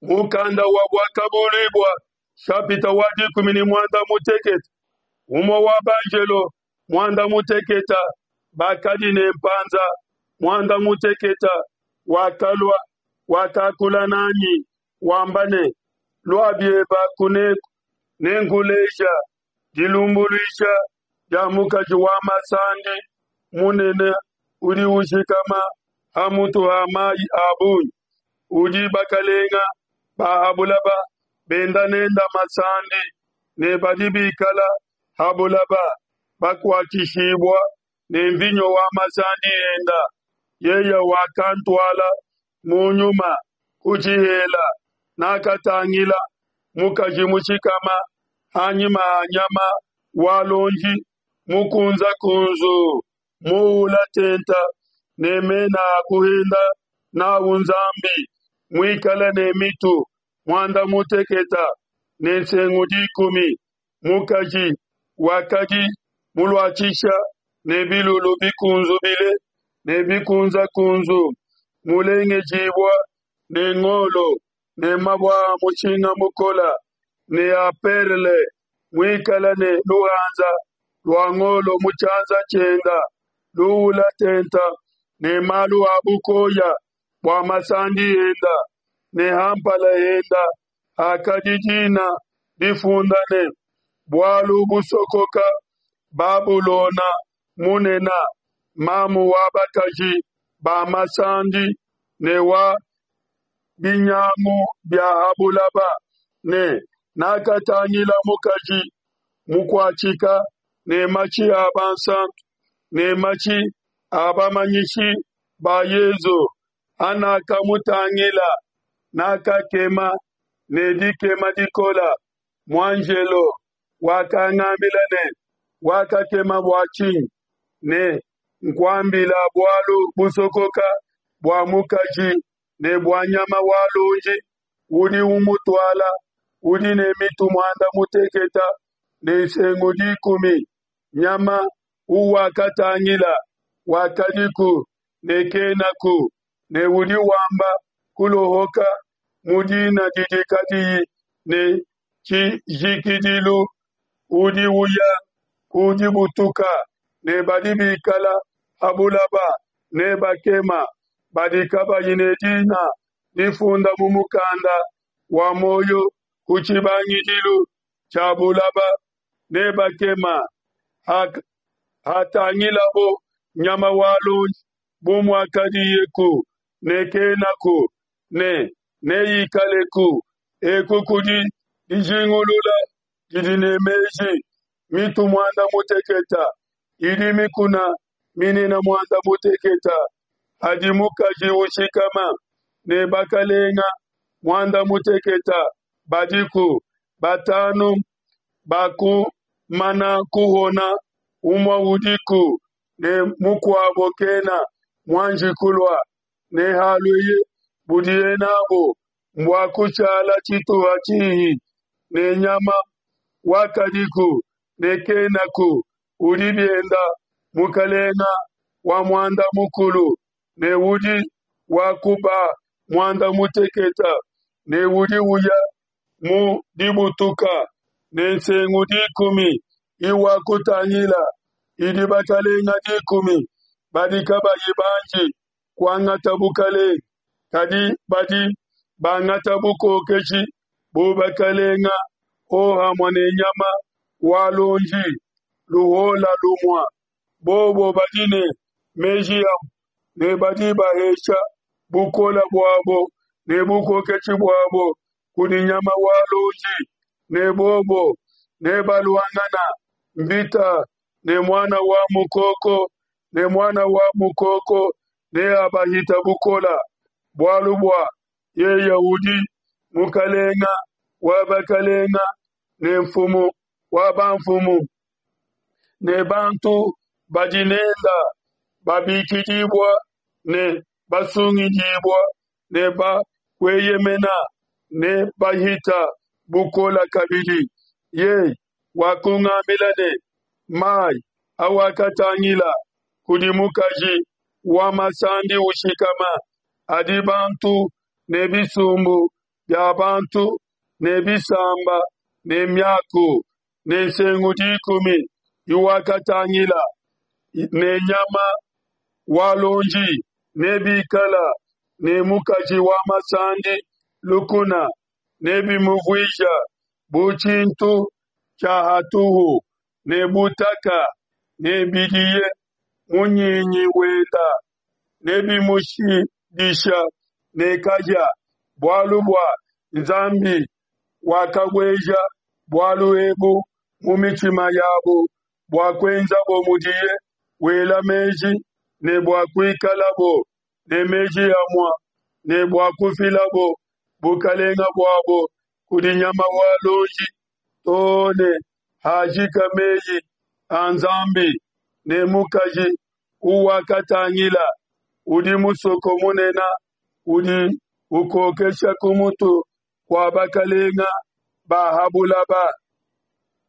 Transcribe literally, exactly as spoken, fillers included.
Mukanda wa Buakabuluibua nshapita wa dikumi ne muanda mutekete. Umue wa banjelo muanda mutekete bakadi ne mpanza muanda mutekete wakalua, wakakula nanyi, wamba ne, Lua biebe kuneku, nenkuleje dilumbuluisha dia mukaji wa masandi munene udi ushikama ha mutu ha mai a bungi, udi bakelenge ba ha buloba benda nende masandi, ne badi bikala ha buloba bakuatshishibua ne nvinyo wa masandi ende. Yeye wakantuala mu nyuma ku tshihela, nakatangila mukaji mushikama ha nyima ha nyama wa luonji mukunzekunzu, muula tente ne mena a kuhenda n'au Nzambi, muikale ne mitu muanda mutekete ne nsengu dikumi. Mukaji wakadi muluatshisha ne bilulu bikunzubile ne bikunzekunzu, mulengejibua ne ngolo ne mabue a mushinga mukole ne a perle, muikale ne luhanza lua ngolo mu tshianza tshiende, luula tente ne malu a bukoya bua masandi ende, ne ha mpala hende hakadi dina difunda ne, Bualu busokoka, Babulona munene, mamu wa bakaji ba masandi ne wa binyangu bia ha buloba. Ne nakatangila mukaji mukuatshika ne mashi a bansanto ne mashi a bamanyishi ba Yesu. Hanakamutangila, nakakema ne dikema dikole. Muanjelo wakangambila ne, Wakakema bua tshinyi? Ne nkuambile bualu busokoka bua mukaji ne bua nyama wa luonji udi umutuala, udi ne mitu muanda mutekete ne nsengu dikumi. Nyama uwakatangila wakadiku ne kenaku, ne udi wamba kuluhuka mu dina didi kadiyi ne tshijikidilu, udi uya ku dibutuka, ne badi bikala ha buloba nebakeme, badi kabayi ne dina difunda mu mukanda wa muoyo ku tshibangidilu tshia buloba, nebakeme hatangilabo nyama wa luonji bu muakadiyeku ne kenaku ne neikaleku. Eku kudi dijingulula didi ne meji. Mitu muanda mutekete idi mikuna minene muanda mutekete hadi mukaji ushikama, ne bakelenge muanda mutekete badiku. Batanu bakumana kuhona, umue udiku ne mukuabo kena muanji kulua, ne halueye, budiye n'abu mbua kushala tshituha tshihi. Ne nyama wakadiku ne kenaku, udi biende mukelenge wa muanda mukulu, ne udi wa ku ba muanda mutekete, ne udi uya mu dibutuka. Ne nsengu dikumi iwakutangila idi bakelenge dikumi badi kabayi banji kuangata bukelenge, kadi badi bangata bukokeshi bu bakelenge hohamue ne nyama wa luonji luhola lumue. Bobo badi ne meji amue ne badi bahesha bukole buabo ne bukokeshi buabo kudi nyama wa luonji, ne bobo nebaluangane nvita ne Muana wa Mukoko, ne Muana wa Mukoko neabahite bukole, bualu bua yeye udi Mukelenge wa bakelenge ne Nfumu wa banfumu, ne bantu badi nende babikidibue ne basungidibue ne ba kueyemena nebahite bukole kabidi. Yeye wakungambila ne, Mai awakatangila kudi mukaji wa masandi ushikama adi bantu ne bisumbu bia bantu ne bisamba ne miaku, ne nsengu dikumi iwakatangila ne nyama wa luonji nebikale ne mukaji wa masandi lukuna, nebimuvuija bu tshintu tshia hatuhu ne butaka, nebidie munyinyi wenda, nebimushidisha ne kahia, bualu bua Nzambi wakabueja bualu ebu mu mitshima yabo bua kuenzabo mudiye wela meji, ne bua kuikalabo ne meji amue, ne bua kufilabo bukelenge buabo kudi nyama wa luonji to ne hajika mei a Nzambi. Ne mukaji uwakatangila udi musoko munene udi ukokesha ku mutu kua bakelenge ba ha buloba.